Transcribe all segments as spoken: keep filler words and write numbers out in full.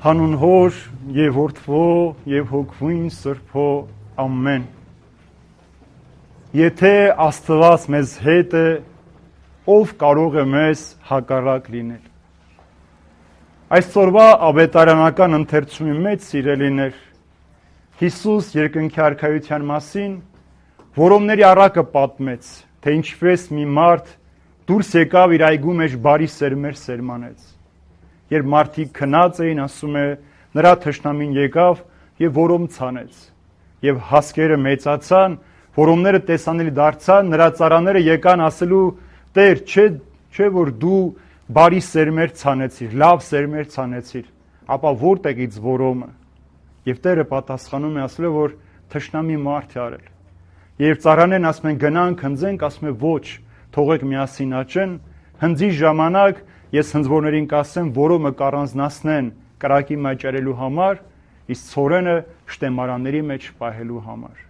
Հանուն Հոր եւ Որդվո եւ Հոգվույն Սրբո ամեն։ Եթե Աստված մեզ հետ է, ով կարող է մեզ հակառակ լինել։ Այսօրվա ավետարանական ընթերցումի մեջ սիրելիներ, Հիսուս երկնքի արքայության մասին որոմների առակը պատմեց, թե ինչպես մի մարդ դուրս եկավ իր այգու մեջ բարի սերմեր սերմանեց։ Երբ մարդիկ քնած էին, ասում է, նրա թշնամին եկավ եւ որոմ ցանեց։ Եվ հասկերը մեծացան, որոմները տեսանելի դարձան, նրա ծառաները եկան ասելու. Տեր, չէ, չէ որ դու բարի սերմեր ցանեցիր, լավ սերմեր ցանեցիր, ապա որտեղից որոմը։ Եվ Տերը պատասխանում է ասելով, որ թշնամի մարդ է արել։ Եվ ծառաներն ասում են գնանք, հնձենք, ասում է ոչ, թողեք միասին աճեն, հնձի ժամանակ ես հնձվորներին կասեմ, որոմը կառանձնացնեն կրակի մաճարելու համար, իսկ ցորենը շտեմարանների մեջ պահելու համար։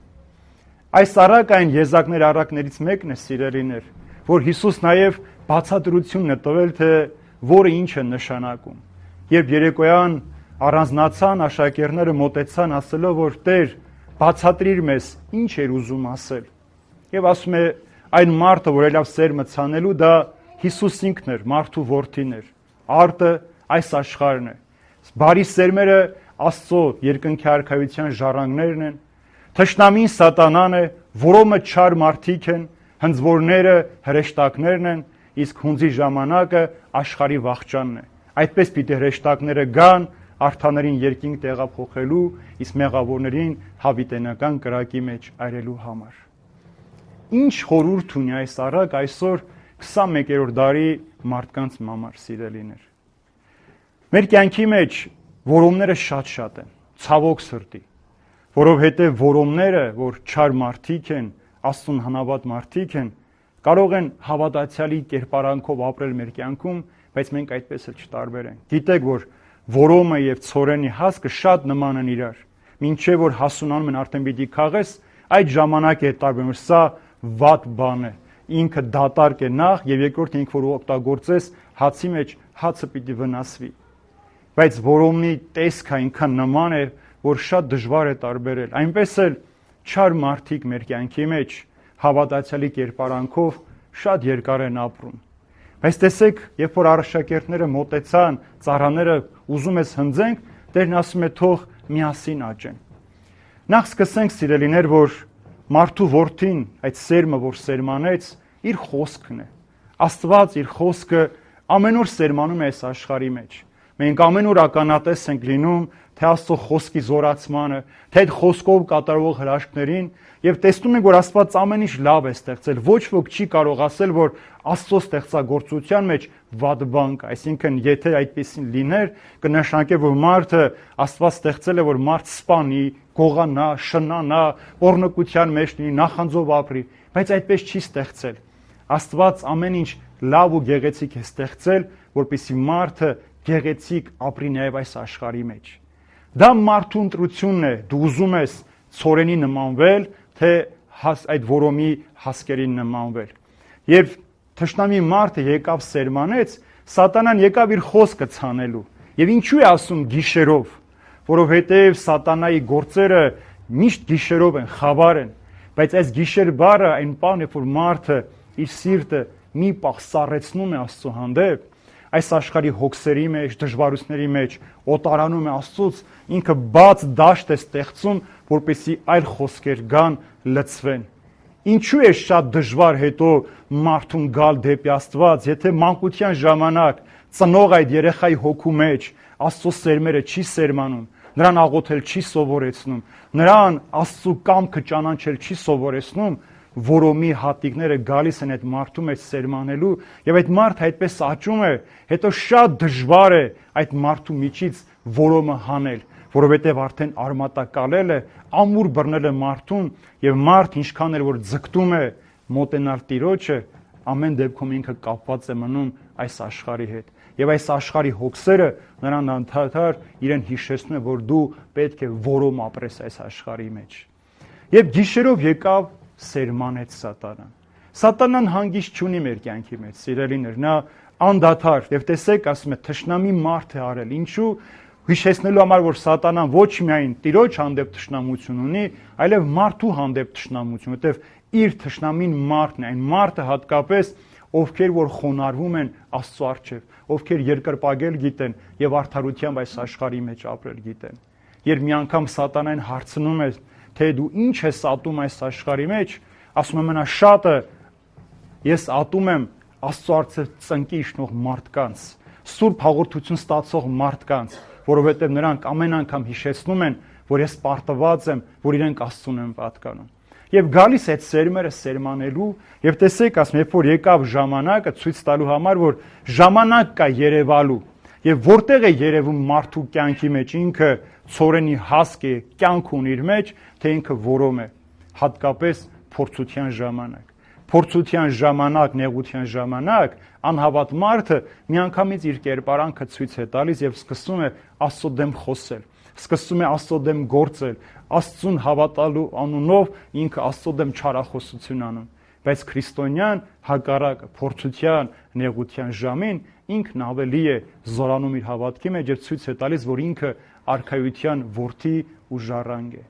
Այս առակային եզակներ առակներից մեկն է, սիրելիներ, որ Հիսուս նաև բացատրությունն է տվել, թե որը ինչ է նշանակում։ Երբ երեկոյան առանձնացան, աշակերտները մոտեցան ասելով, որ Տեր, բացատրիր մեզ, ինչ էր ուզում ասել։ Եվ ասում է, այն մարդը, որ ելավ սերմը ցանելու, դա Հիսուս ինքն էր, մարդու որդին էր, արտը այս աշխարհն է։ Բարի սերմերը Աստծո երկնքի արքայության ժառանգներն են, թշնամին սատանան է, որոմը չար մարդիկ են, հնձվորները հրեշտակներն են, իսկ հունձի ժամանակը աշխարհի վախճանն է։ Այդպես պիտի հրեշտակները գան արթաներին երկինք տեղափոխելու, իսկ մեղավորներին հավիտենական կրակի մեջ այրելու համար։ Ինչ խորհուրդ ունի այս առակ այսօր քսանմեկերորդ դարի մարդկանց համար, սիրելիներ։ Մեր կյանքի մեջ որոմները շատ-շատ են, ցավոք սրտի, որովհետև որոմները, որ չար մարդիկ են, Աստծուն հնավատ մարդիկ են, կարող են հավատացյալի կերպարանքով ապրել մեր կյանքում, բայց մենք այդպես էլ չտարբերենք։ Գիտեք, որ որոմը եւ ցորենի հասկը շատ նման են իրար։ Մինչև որ հասունանում են արդեն պիտի քաղես, այդ ժամանակ է տարբերում, սա վատ բան է։ Ինքը դատարկ է նախ եւ երկրորդ ինքը որ օգտագործես հացի մեջ հացը պիտի վնասվի։ Բայց որոմի տեսքը այնքան նման է, որ շատ դժվար է տարբերել։ Այնպես էլ չար մարդիկ մեր կյանքի մեջ հավատացյալի կերպարանքով շատ երկար են ապրում։ Բայց տեսեք, երբ որ աշակերտները մոտեցան, ծառաները ուզում ես հնձենք, Տերն ասում է թող միասին աճեն։ Նախ սկսենք, սիրելիներ, որ մարդու որդին, այդ սերմը, որ սերմանեց, իր խոսքն է։ Աստված իր խոսքը ամեն օր սերմանում է այս աշխարհի մեջ։ Մենք ամեն օր ականատես ենք լինում թե Աստծո խոսքի զորացմանը, թե այդ խոսքով կատարվող հրաշքներին, եւ տեսնում ենք, որ Աստված ամեն ինչ լավ է ստեղծել։ Ոչ ոք չի կարող ասել, որ Աստծո ստեղծագործության մեջ վատ բան կա, այսինքն եթե այդպեսին լիներ, կնշանակե, որ մարդը Աստված ստեղծել է, որ մարդ սպանի, գողանա, շնանա, պոռնկության մեջ լինի, նախանձով ապրի, բայց այդպես չի ստեղծել։ Աստված ամեն ինչ լավ ու գեղեցիկ է ստեղծել, որպեսզի մարդը գեղեցիկ ապրի նաև այս աշխարհի մեջ։ Դա մարդու ընտրությունն է, դու ուզում ես ցորենի նմանվել, թե այդ որոմի հասկերին նմանվել։ Երբ թշնամի մարդը եկավ սերմանեց, սատանան եկավ իր խոսքը ցանելու։ Եվ ինչու է ասում գիշերով, որովհետև սատանայի գործերը միշտ գիշերով են, խավար են, բայց այս գիշեր բառը այն բանն է, որ մարդը իր սիրտը մի պահ սառեցնում է Աստծո հանդեպ, այս աշխարհի հոգսերի մեջ, դժվարությունների մեջ, օտարանում է Աստծուց, ինքը բաց դաշտ է ստեղծում, որպեսզի այլ խոսքեր գան, լցվեն։ Ինչու է շատ դժվար հետո մարդուն գալ դեպի Աստված, եթե մանկության ժամանակ ծնող այդ երեխայի հոգու մեջ Աստծո սերմերը չի սերմանում, նրան աղոթել չի սովորեցնում, նրան Աստծո կամքը ճանաչել չի սովորեցնում, որոմի հատիկները գալիս են այդ մարդու մեջ սերմանելու եւ այդ մարդը այդպես աճում է, հետո շատ դժվար է այդ մարդու միջից որոմը հանել, որովհետեւ արդեն արմատակալել է, ամուր բռնել է մարդուն եւ մարդ ինչքան էլ որ ձգտում է մոտենալ Տիրոջը, ամեն դեպքում ինքը կապված է մնում այս աշխարհի հետ եւ այս աշխարհի հոգսերը նրան անդադար իրեն հիշեցնում է, որ դու պետք է որոմ ապրես այս աշխարհի մեջ։ Եվ գիշերով եկավ սերմանեց սատանան։ Սատանան հանգիստ չունի մեր կյանքի մեջ, սիրելիներ, նա անդադար, եւ տեսեք, ասում է, թշնամի մարդ է արել, ինչու, Հիշեցնելու համար, որ սատանան ոչ միայն Տիրոջ հանդեպ թշնամություն ունի, այլև մարդու հանդեպ թշնամություն, որտեղ իր թշնամին մարդն է, այն մարդը հատկապես, ովքեր որ խոնարհվում են Աստծո առջև, ովքեր երկրպագել գիտեն եւ արդարությամբ այս աշխարհի մեջ ապրել գիտեն։ Երբ մի անգամ սատանան հարցնում է, թե դու ինչ ես ատում այս աշխարհի մեջ, ասում եմ նա շատը ես ատում եմ Աստծո առջև ծնկի իջնող մարդկանց, սուրբ հաղորդություն ստացող մարդկանց, որովհետև նրանք ամեն անգամ հիշեցնում են, որ ես պարտված եմ, որ իրենք Աստծուն են պատկանում։ Եվ գալիս այդ սերմերը սերմանելու, եւ տեսեք, ասում, երբ որ եկավ ժամանակը ցույց տալու համար, որ ժամանակ կա երևալու, եւ որտեղ է երևում մարդու կյանքի մեջ, ինքը ցորենի հասկ է, կյանք ունի իր մեջ, թե ինքը որոմ է, հատկապես փորձության ժամանակ։ Փորձության ժամանակ, նեղության ժամանակ, անհավատ մարդը միանգամից իր կերպարանքը ցույց է տալիս եւ սկսում է Աստծո դեմ խոսել, սկսում է Աստծո դեմ գործել, Աստծուն հավատալու անունով ինքը Աստծո դեմ չարախոսություն անում, բայց քրիստոնյան հակառակը փորձության, նեղության ժամին ինքն ավելի է զորանում իր հավատքի մեջ եւ ցույց է տալիս, որ ինքը արքայության որդի ու ժառանգ է։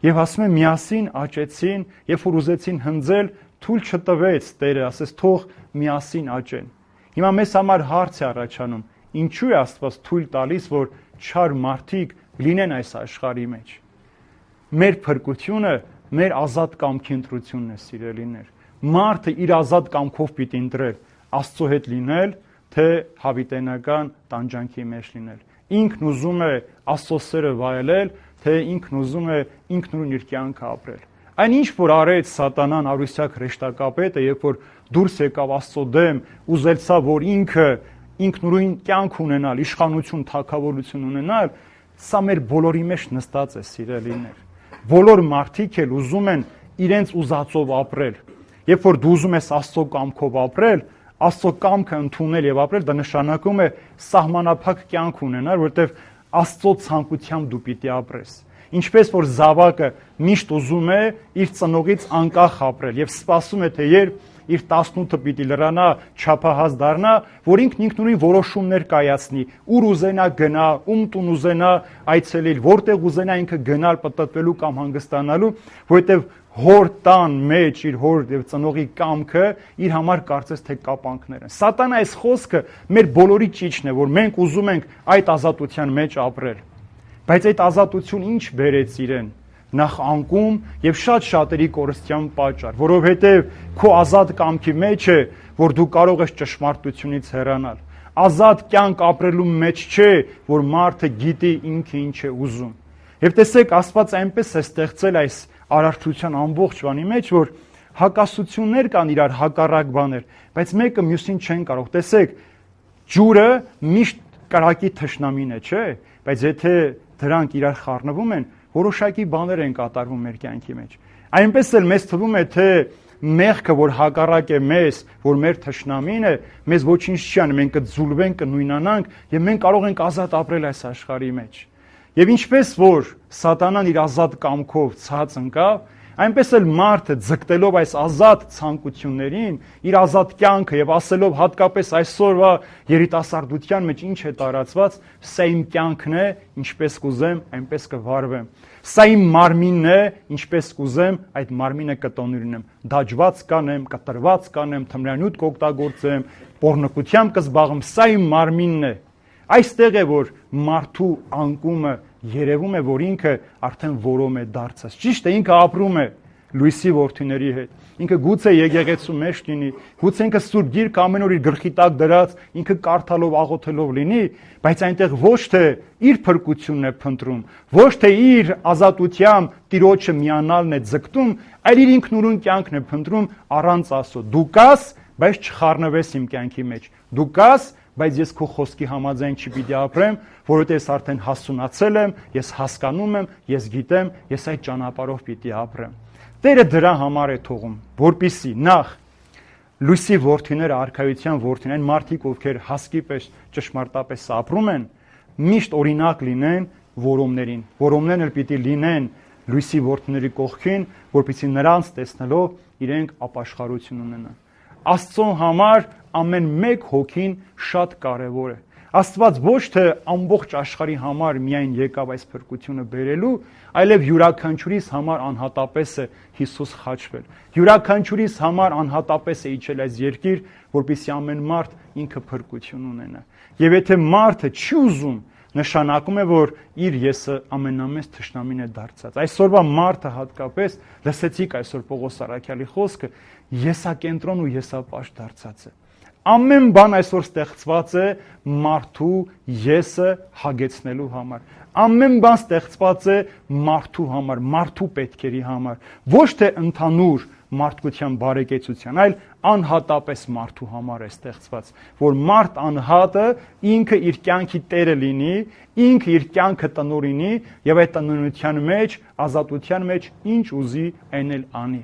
Եվ ասում է միասին աճեցին, երբ որ ուզեցին հնձել, թույլ չտվեց Տերը, ասես թող միասին աճեն։ Հիմա մեզ համար հարց է առաջանում, ինչու է Աստված թույլ տալիս, որ չար մարդիկ լինեն այս աշխարհի մեջ։ Մեր փրկությունը մեր ազատ կամքի ընտրությունն է, սիրելիներ։ Մարդը իր ազատ կամքով պիտի ընտրել Աստծո հետ լինել, թե հավիտենական տանջանքի մեջ լինել։ Ինքն ուզում է Աստծո սերը վայելել, թե ինքն ուզում է ինքնուրույն իր կյանքը ապրել։ Այն ինչ որ արեց սատանան արուսյակ հրեշտակապետը, երբ որ դուրս եկավ Աստծո դեմ, ուզեցավ, որ ինքը ինքնուրույն կյանք ունենալ, իշխանություն, թագավորություն ունենալ, սա մեր բոլորի մեջ նստած է, սիրելիներ։ Բոլոր մարդիկ էլ ուզում են իրենց ուզածով ապրել։ Երբ որ դու ուզում ես Աստծո կամքով ապրել, Աստծո կամքը ընդունել եւ ապրել, դա նշանակում է սահմանափակ կյանք ունենալ, որովհետեւ Աստծո ցանկությամբ դու պիտի ապրես։ Ինչպես որ զավակը միշտ ուզում է իր ծնողից անկախ ապրել եւ սպասում է, թե երբ իր տասնութը պիտի լրանա, չափահաս դառնա, որ ինքն ինքնուրույն որոշումներ կայացնի, ուր ուզենա գնա, ում տուն ուզենա այցելել, որտեղ ուզենա ինքը գնալ, պտտվելու կամ հանգստանալու, որովհետեւ հոր տան մեջ իր հոր եւ ծնողի կամքը իր համար կարծես թե կապանքներ են։ Սատանա այս խոսքը մեր բոլորի ճիճն է, որ մենք ուզում ենք այդ ազատության մեջ ապրել։ Բայց այդ ազատություն ինչ բերեց իրեն։ Նախ անկում եւ շատ շատերի կորստյան պատճառ, որովհետեւ քո ազատ կամքի մեջ է, որ դու կարող ես ճշմարտությունից հեռանալ։ Ազատ կյանք ապրելու մեջ չէ, որ մարդը գիտի ինքը ինչ է ուզում։ Եվ տեսեք, Աստված այնպես է ստեղծել այս արարչության ամբողջ բանի մեջ, որ հակասություններ կան իրար հակառակ բաներ, բայց մեկը մյուսին չեն կարող։ Տեսեք, ջուրը միշտ կրակի թշնամին է, չէ՞, բայց եթե դրանք իրար խառնվում են, որոշակի բաներ են կատարվում մեր կյանքի մեջ։ Այնպես էլ մեզ թվում է, թե մեղքը, որ հակառակ է մեզ, որ մեր թշնամին է, մեզ ոչինչ չի անի, մենք կձուլվենք, կնույնանանք եւ մենք կարող ենք ազատ ապրել այս աշխարհի մեջ։ Եվ ինչպես որ սատանան իր ազատ կամքով ցած ընկավ, այնպես էլ մարդը ձգտելով այս ազատ ցանկություններին, իր ազատ կյանքը եւ ասելով հատկապես այսօրվա երիտասարդության մեջ ինչ է տարածված, սա իմ կյանքն է, ինչպես կուզեմ, այնպես կվարվեմ։ Սա իմ մարմինն է, ինչպես կուզեմ, այդ մարմինը կտոնիրնեմ։ Դաջված կանեմ, կտրված կանեմ, թմրանյութ կօգտագործեմ, պոռնկությամբ կզբաղեմ, սա իմ մարմինն է։ Այստեղ է, որ մարդու անկումը երևում է, որ ինքը արդեն որոմ է դարձած։ Ճիշտ է, ինքը ապրում է լույսի որդիների հետ։ Ինքը գուցե եկեղեցու մեջ լինի, գուցե ինքը Սուրբ Գիրք ամեն օր իր գլխի տակ դրած, ինքը կարդալով, աղոթելով լինի, բայց այնտեղ ոչ թե իր փրկությունն է փնտրում, ոչ թե իր ազատությամբ Տիրոջը միանալն է ձգտում, այլ իր ինքնուրույն կյանքն է փնտրում առանց Աստծո։ Դու կաս, բայց չխառնվես իմ կյանքի մեջ։ Դու կաս, բայց ես քո խոսքի համաձայն չպիտի ապրեմ, որովհետև ես արդեն հասունացել եմ, ես հասկանում եմ, ես գիտեմ, ես այդ ճանապարհով պիտի ապրեմ։ Տերը դրա համար է թողում, որպիսի նախ լույսի որդիները, արքայության որդիները, այն մարդիկ, ովքեր հասկի պես ճշմարտապես ապրում են, միշտ օրինակ լինեն որոմներին։ Որոմներն էլ պիտի լինեն լույսի որդիների կողքին, որպիսի նրանց տեսնելով իրենք ապաշխարություն ունենան։ Աստծո համար ամեն մեկ հոգին շատ կարևոր է։ Աստված ոչ թե ամբողջ աշխարհի համար միայն եկավ այս փրկությունը բերելու, այլև յուրաքանչյուրիս համար անհատապես է Հիսուս խաչվել։ Յուրաքանչյուրիս համար անհատապես է իջել այս երկիր, որպեսզի ամեն մարդ ինքը փրկություն ունենա։ Եվ եթե մարդը չի ուզում, նշանակում է, որ իր եսը ամենամեծ թշնամին է դարձած։ Այսօրվա մարդը հատկապես, լսեցիք այսօր Պողոս առաքյալի խոսքը, եսակենտրոն ու եսապաշտ դարձած է։ Ամեն բան այսօր ստեղծված է մարդու եսը հագեցնելու համար։ Ամեն բան ստեղծված է մարդու համար, մարդու պետքերի համար, ոչ թե ընդհանուր մարդկության բարեկեցության, այլ անհատապես մարդու համար է ստեղծված, որ մարդ անհատը ինքը իր կյանքի տերը լինի, ինքը իր կյանքը տնօրինի եւ այդ տնօրինության մեջ, ազատության մեջ ինչ ուզի այն էլ անի։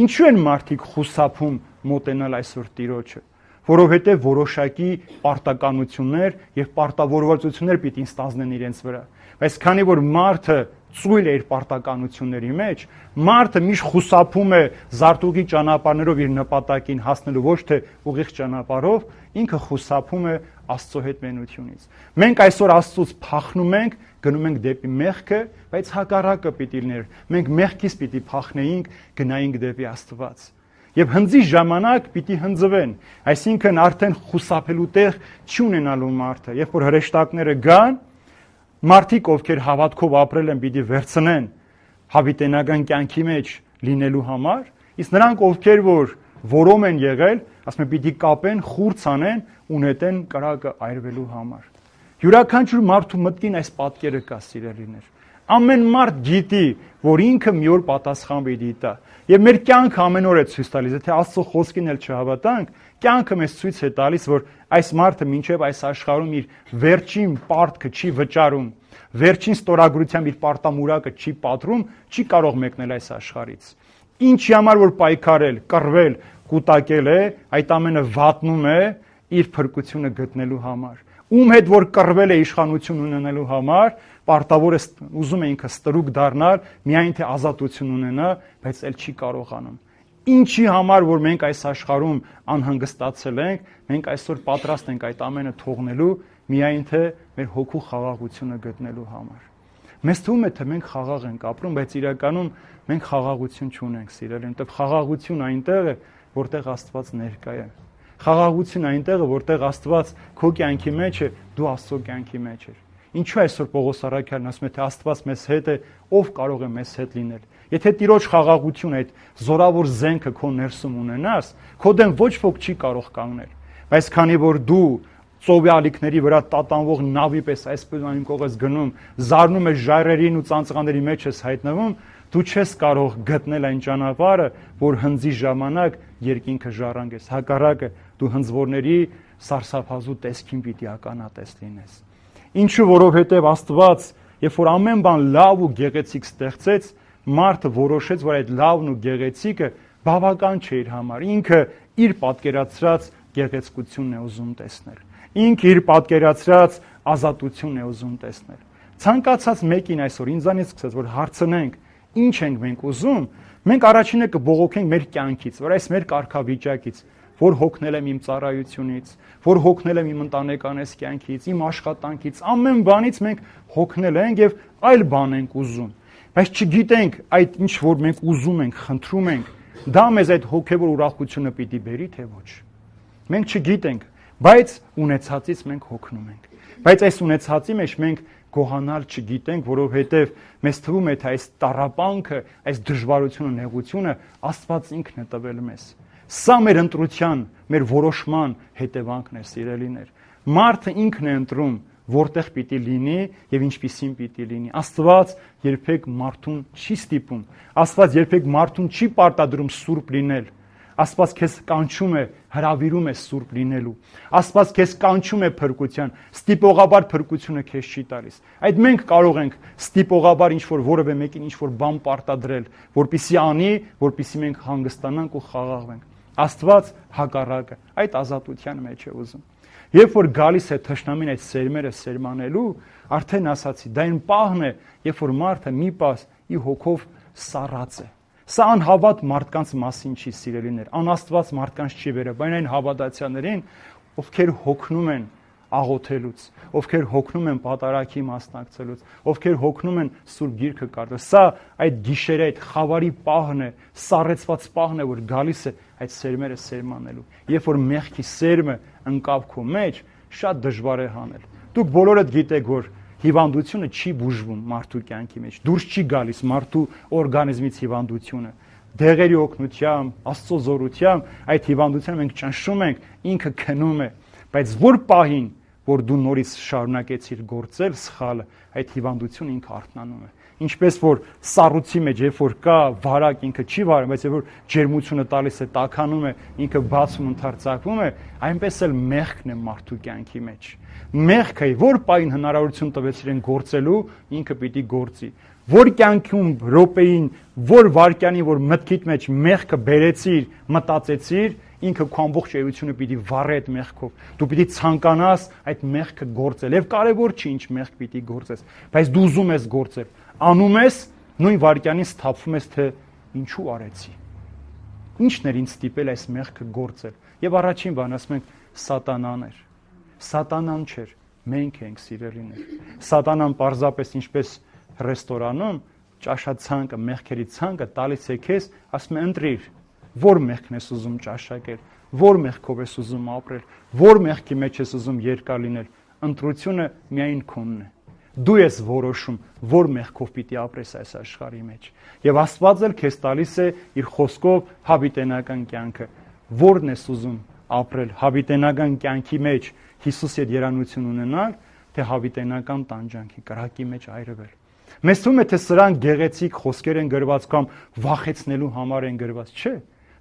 Ինչու են մարդիկ խուսափում մոտենալ այսօր Տիրոջը, որովհետեւ որոշակի պարտականություններ եւ պարտավորվածություններ պիտի ստանձնեն իրենց վրա։ Բայց քանի որ մարդը ծույլ է իր պարտականությունների մեջ, մարդը միշտ խուսափում է զարտուղի ճանապարհներով իր նպատակին հասնելու, ոչ թե ուղիղ ճանապարհով, ինքը խուսափում է Աստծո հետ մենությունից։ Մենք այսօր Աստծուց փախնում ենք, գնում ենք դեպի մեղքը, բայց հակառակը պիտի լիներ։ Մենք մեղքից պիտի փախնեինք, գնայինք դեպի Աստված։ Եվ հնձի ժամանակ պիտի հնձվեն, այսինքն արդեն խուսափելու տեղ չի ունենալու մարդը, երբ որ հրեշտակները գան, մարդիկ, ովքեր հավատքով ապրել են, պիտի վերցնեն հավիտենական կյանքի մեջ լինելու համար, իսկ նրանք, ովքեր որ որոմ են եղել, ասում են, պիտի կապեն, խուրց անեն, ունետեն կրակը այրվելու համար։ Յուրաքանչյուր մարդու մտքին այս պատկերը կա, սիրելիներ։ Ամեն մարդ գիտի, որ ինքը մի օր պատասխան պիտի տա։ Եվ մեր կյանքը ամեն օր է ցույց տալիս, եթե Աստծո խոսքին էլ չհավատանք, կյանքը մեզ ցույց է տալիս, որ այս մարդը մինչև այս աշխարհում իր վերջին պարտքը չի վճարում, վերջին ստորագրությամբ իր պարտամուրակը չի պատրում, չի կարող մեկնել այս աշխարհից։ Ինչի համար որ պայքարել, կռվել, կուտակել է, այդ ամենը վատնում է իր փրկությունը գտնելու համար։ Ում հետ որ կռվել է իշխանություն ունենալու համար, պարտավոր է ուզում է ինքը ստրուկ դառնալ, միայն թե ազատություն ունենա, բայց էլ չի կարողանում։ Ինչի համար որ մենք այս աշխարհում անհանգստացել ենք, մենք այսօր պատրաստ ենք այդ ամենը թողնելու, միայն թե մեր հոգու խաղաղությունը գտնելու համար։ Մեզ թվում է, թե մենք խաղաղ ենք ապրում, բայց իրականում մենք խաղաղություն չունենք, սիրելին, որտեղ խաղաղություն այնտեղ է, որտեղ Աստված ներկա է։ Խաղաղություն այնտեղ է, որտեղ Աստված քո կյանքի մեջ է, դու Աստծո կյանքի մեջ ես։ Ինչու այսօր Պողոս առաքյալն ասում է, թե Աստված մեզ հետ է, ով կարող է մեզ հետ լինել։ Եթե Տիրոջ խաղաղություն այդ զորավոր զենքը քո ներսում ունենաս, քո դեմ ոչ ոք չի կարող կանգնել։ Բայց քանի որ դու ծովի ալիքների վրա տատանվող նավի պես այսպես այն կողես գնում, զարնում ես ժայռերին ու ծանծաղների մեջ ես հայտնվում, դու չես կարող գտնել այն ճանապարհը, որ հնձի ժամանակ երկինքը ժառանգես։ Հակառակը դու հնձվորների սարսափազու տեսքին պիտի ականատես լինես։ Ինչու, որովհետև Աստված, երբ որ ամեն բան լավ ու գեղեցիկ ստեղծեց, մարդը որոշեց, որ այդ լավն ու գեղեցիկը բավական չէ իր համար։ Ինքը իր պատկերացրած գեղեցկությունն է ուզում տեսնել։ Ինքը իր պատկերացրած ազատությունն է ուզում տեսնել։ Ցանկացած մեկին այսօր ինձանից սկսած, որ հարցնենք, ինչ ենք մենք ուզում, մենք առաջինը կբողոքենք մեր կյանքից, որ այս մեր կարգավիճակից, որ հոգնել եմ իմ ծառայությունից, որ հոգնել եմ իմ ընտանեկանես կյանքից, իմ աշխատանքից, ամեն բանից մենք հոգնել ենք եւ այլ բան ենք ուզում։ Բայց չգիտենք այդ ինչ որ մենք ուզում ենք, խնդրում ենք, դա մեզ այդ հոգեվոր ուրախությունը պիտի բերի թե ոչ։ Մենք չգիտենք, բայց ունեցածից մենք հոգնում ենք։ Բայց այս ունեցածի մեջ մենք գոհանալ չգիտենք, որովհետև մեզ թվում է, թե այս տառապանքը, այս դժվարությունը, նեղությունը Աստված ինքն է տվել մեզ։ Սա մեր ընտրության, մեր որոշման հետևանքն է, սիրելիներ։ Մարդը ինքն է ընտրում, որտեղ պիտի լինի եւ ինչպիսին պիտի լինի։ Աստված երբեք մարդուն չի ստիպում։ Աստված երբեք մարդուն չի պարտադրում սուրբ լինել։ Աստված քեզ կանչում է, հրավիրում է սուրբ լինելու։ Աստված քեզ կանչում է փրկության, ստիպողաբար փրկությունը քեզ չի տալիս։ Այդ մենք կարող ենք ստիպողաբար ինչ-որ որևէ մեկին ինչ-որ բան պարտադրել, որպիսի անի, որպիսի մենք հանգստանանք ու խաղաղվենք։ Աստված հակառակը, այդ ազատության մեջ է ուզում։ Երբ որ գալիս է թշնամին այդ սերմերը սերմանելու, արդեն ասացի, դա այն պահն է, երբ որ մարդը մի պահ ի հոգով սառած է։ Սա անհավատ մարդկանց մասին չի, սիրելիներ, անաստված մարդկանց չի վերաբերում, այն հավատացյալներին, ովքեր հոգնում են աղոթելուց, ովքեր հոգնում են պատարագի մասնակցելուց, ովքեր հոգնում են Սուրբ Գիրքը կարդալ։ Սա այդ գիշերը այդ խավարի պահն է, սառեցված պահն է, որ գալիս է այդ սերմերը սերմանելու։ Երբ որ մեղքի սերմը ընկավ քո մեջ, շատ դժվար է հանել։ Դուք բոլորդ գիտեք, որ հիվանդությունը չի բուժվում մարդու կյանքի մեջ։ Դուրս չի գալիս մարդու օրգանիզմից հիվանդությունը։ Դեղերի օգնությամբ, Աստծո զորությամբ այդ հիվանդությունը մենք ճնշում ենք, ինքը քնում է, բայց որ պահին, որ դու նորից շարունակեցիր գործել սխալը, այդ հիվանդությունը ինքը արթնանում է։ Ինչպես որ սառույցի մեջ, երբ որ կա վարակ, ինքը չի վարում, բայց երբ որ ջերմությունը տալիս է, տաքանում է, ինքը բացում ընդարձակվում է, այնպես էլ մեղքն է մարդու կյանքի մեջ։ Մեղքը որ պահին հնարավորություն տվեց իրեն գործելու, ինքը պիտի գործի։ Որ կյանքում րոպեին, որ վարքյանին, որ մտքիդ մեջ մեղքը բերեցիր, մտածեցիր, ինքը քո ամբողջ էությունը պիտի վառի այդ մեղքով։ Դու պիտի ցանկանաս այդ մեղքը գործել։ Եվ կարևոր չի ինչ մեղք պիտի գործես, բայց դու ուզում ես գործել։ Անում ես, նույն վարքյանին սթափվում ես, թե ինչու արեցի։ Ինչն էր ինձ ստիպել այս մեղքը գործել։ Եվ առաջին բան ասում ենք սատանան էր։ Սատանան չէր, մենք ենք սիրելիներ։ Սատանան պարզապես ինչպես ռեստորանում ճաշացանկը, մեղքերի ցանկը տալիս է քեզ, ասում է ընտրիր, որ մեղքն ես ուզում ճաշակել, որ մեղքով ես ուզում ապրել, որ մեղքի մեջ ես ուզում երկար լինել, ընտրությունը միայն քոնն է։ Դու ես որոշում, որ մեղքով պիտի ապրես այս աշխարհի մեջ։ Եվ Աստված էլ քեզ տալիս է իր խոսքով հավիտենական կյանքը, որն ես ուզում ապրել հավիտենական կյանքի մեջ Հիսուսի հետ երանություն ունենալ, թե հավիտենական տանջանքի կրակի մեջ այրվել։ Մեզ թվում է, թե սրանք գեղեցիկ խոսքեր են գրված կամ վախեցնելու համար են գրված, չէ։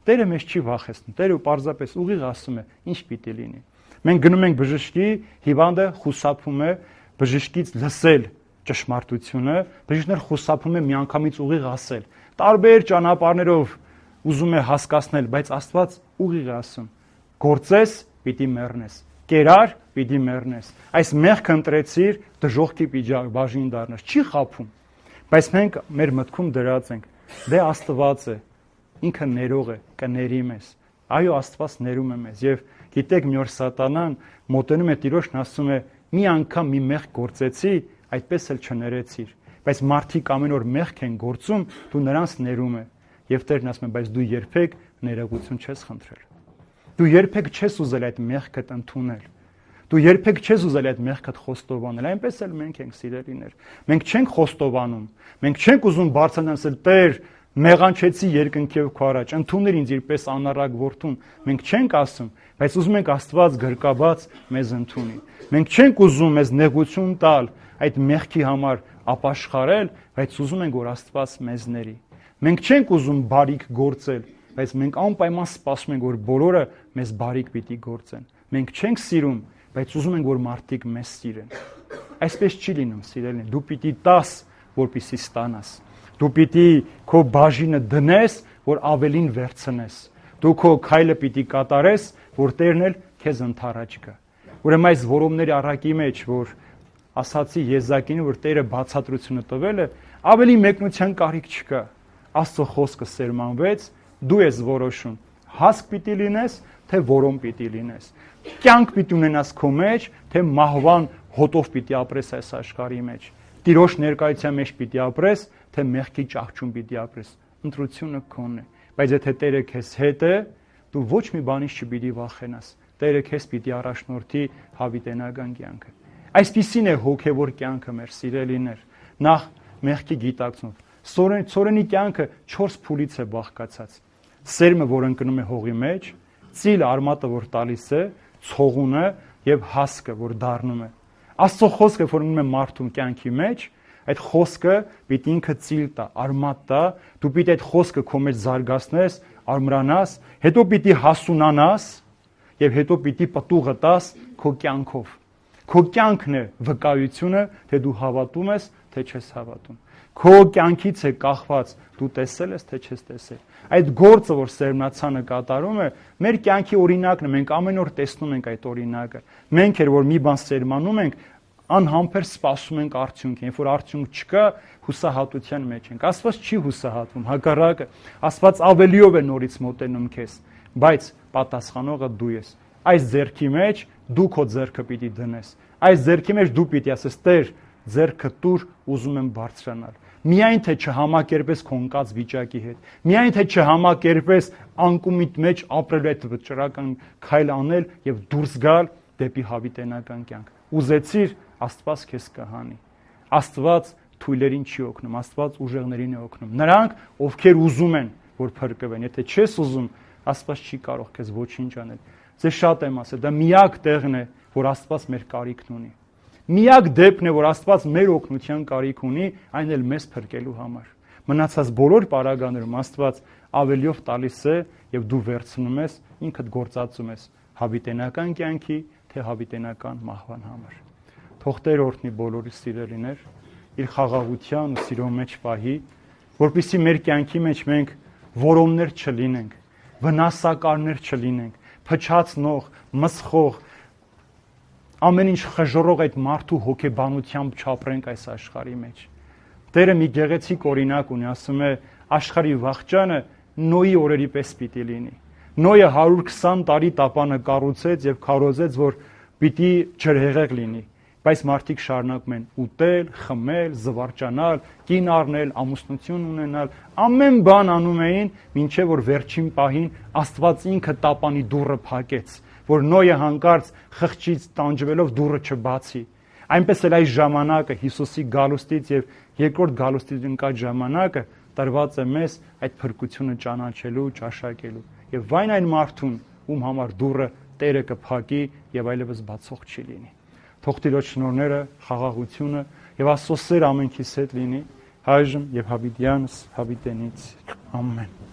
Տերը մեզ չի վախեցնում, Տերը պարզապես ուղիղ ասում է, ինչ պիտի լինի։ Մենք գնում ենք բժշկի, հիվանդը խուսափում է բժշկից լսել ճշմարտությունը, բժիշկն խուսափում է միանգամից ուղիղ ասել։ Տարբեր ճանապարհներով ուզում է հասկացնել, բայց Աստված ուղիղ է ասում. գործես, պիտի մեռնես, կերար, պիտի մեռնես։ Այս մեղքը ընտրեցիր, դժոխքի բաժին դառնաս, չի խաբում։ Բայց մենք մեր մտքում դրած ենք, դե Աստված է, ինքը ներող է, կների մեզ։ Այո, Աստված ներում է մեզ։ Եվ գիտեք, մի օր Սատանան մոտենում է Տիրոջն, ասում է. մի անգամ մի մեղք գործեցի, այդպես էլ չներեցիր։ Բայց մարդիկ ամեն օր մեղք են գործում, դու նրանց ներում է։ Եվ Տերն ասում է, բայց դու երբեք ներողություն չես խնդրել։ Դու երբեք չես ուզել այդ մեղքդ ընդունել։ Դու երբեք չես ուզել այդ մեղքդ խոստովանել։ Այնպես էլ մենք ենք սիրելիներ։ Մենք չենք խոստովանում։ Մենք չենք ուզում բարձրանալ, Տեր, մեղանչեցի երկնքև քո առաջ, ընդունիր ինձ իրպես անառակ որդուն։ Մենք չենք ասում, բայց ուզում ենք Աստված գրկաբաց մեզ ընդունի։ Մենք չենք ուզում մեզ նեղություն տալ, այդ մեղքի համար ապաշխարել, բայց ուզում ենք, որ Աստված մեզ ների։ Մենք չենք ուզում բարիք գործել, բայց մենք անպայման սպասում ենք, որ բոլորը մեզ բարիք պիտի գործեն։ Մենք չենք սիրում, բայց ուզում ենք, որ մարդիկ մեզ սիրեն։ Այսպես չի լինում, սիրելիներ։ Դու պիտի տաս, որպեսզի ստանաս։ Դու պիտի քո բաժինը դնես, որ ավելին վերցնես։ Դու քո քայլը պիտի կատարես, որ Տերն էլ քեզ ընդառաջ գա։ Ուրեմն այս որոմների առակի մեջ, որ ասացի Եզակին, որ Տերը բացատրությունը տվել է, ավելի մեկնության կարիք չկա։ Աստծո խոսքը սերմանվեց, դու ես որոշում, հասկ պիտի լինես, թե որոմ պիտի լինես։ Կյանք պիտի ունենաս քո մեջ, թե մահվան հոտով պիտի ապրես այս աշխարհի մեջ։ Տիրոջ ներկայության մեջ պիտի ապրես, թե մեղքի ճահճում պիտի ապրես։ Ընտրությունը քոնն է։ Բայց եթե Տերը քեզ հետ է, դու ոչ մի բանից չպիտի վախենաս։ Տերը քեզ պիտի առաջնորդի հավիտենական կյանքը։ Այսպիսին է հոգևոր կյանքը, մեր սիրելիներ։ Նախ մեղքի գիտակցում։ Սորենի կյանքը չորս փուլից է բաղկացած։ Սերմը, որ ընկնում է հողի մեջ, ծիլը, արմատը, որ տալիս է, ցողունը եւ հասկը, որ դառնում է։ Աստծո խոսքը, որ ունի մարդու կյանքի մեջ, այդ խոսքը պիտի ինքը ծիլ տա, արմատ տա, դու պիտի այդ խոսքը քո մեջ զարգացնես, արմրանաս, հետո պիտի հասունանաս եւ հետո պիտի պտուղը տաս քո կյանքով։ Քո կյանքն է վկայությունը, թե դու հավատում ես, թե չես հավատում։ Քո կյանքից է կախված, դու տեսել ես, թե չես տեսել։ Այդ գործը, որ սերմնացանը կատարում է, մեր կյանքի օրինակն է, մենք ամեն օր տեսնում ենք այդ օրինակը։ Մենք էլ որ մի բան սերմանում ենք, անհամբեր սպասում ենք արդյունքին, երբ որ արդյունք չկա, հուսահատության մեջ ենք։ Աստված չի հուսահատվում, հակառակը, Աստված ավելիով է նորից մոտենում քեզ, բայց պատասխանողը դու ես։ Այս ձեռքի մեջ դու քո ձեռքը պիտի դնես։ Այս ձեռքի մեջ դու պիտի ասես. Տեր, ձեռքը տուր, ուզում եմ բարձրանալ։ Միայն թե չհամակերպես քո ընկած վիճակի հետ, միայն թե չհամակերպես անկումիդ մեջ ապրելու այդ վճռական քայլ անել եւ դուրս գալ դեպի հավիտենական կյանք։ Ուզեցիր, Աստված քեզ կհանի։ Աստված թույլերին չի օգնում, Աստված ուժեղներին է օգնում։ Նրանք, ովքեր ուզում են, որ փրկվեն, եթե չես ուզում, Աստված չի կարող քեզ ոչինչ անել։ Ձեզ շատ եմ ասել, դա միակ տեղն է, որ Աստված մեր կարիքն ունի։ Միակ դեպքն է, որ Աստված մեր օգնության կարիք ունի, այն էլ մեզ փրկելու համար։ Մնացած բոլոր պարագաներում Աստված ավելիով տալիս է եւ դու վերցնում ես, ինքդ գործածում ես հավիտենական կյանքի, թե հավիտենական մահվան համար։ Թող Տեր օրհնի բոլորի սիրելիներ, իր խաղաղության ու սիրո մեջ պահի, որպեսզի մեր կյանքի մեջ մենք որոններ չլինենք, վնասակարներ չլինենք, փչացնող, մսխող, ամեն ինչ խժռող այդ մարդու հոգեբանությամբ չապրենք այս աշխարհի մեջ։ Տերը մի գեղեցիկ օրինակ ունի, ասում է, աշխարհի վախճանը Նոյի օրերի պես պիտի լինի։ Նոյը հարյուր քսան տարի տապանը կառուցեց եւ քարոզեց, որ պիտի ջրհեղեղ լինի, բայց մարդիկ շարունակում են ուտել, խմել, զվարճանալ, կին առնել, ամուսնություն ունենալ, ամեն բան անում էին, մինչև որ վերջին պահին Աստված ինքը տապանի դուռը փակեց, որ Նոյը հանկարծ խղճից տանջվելով դուռը չբացի։ Այնպես էլ այս ժամանակը Հիսուսի գալուստից եւ երկրորդ գալուստից ընկած ժամանակը տրված է մեզ այդ փրկությունը ճանաչելու, ճաշակելու։ Եվ վայն այն մարդուն, ում համար դուռը Տերը կփակի եւ այլևս բացող չի լինի։ Թող Տիրոջ շնորհները, խաղաղությունը եւ Աստծո սերը ամենքիս հետ լինի, այժմ եւ հավիտյանս հավիտենից։ Ամեն։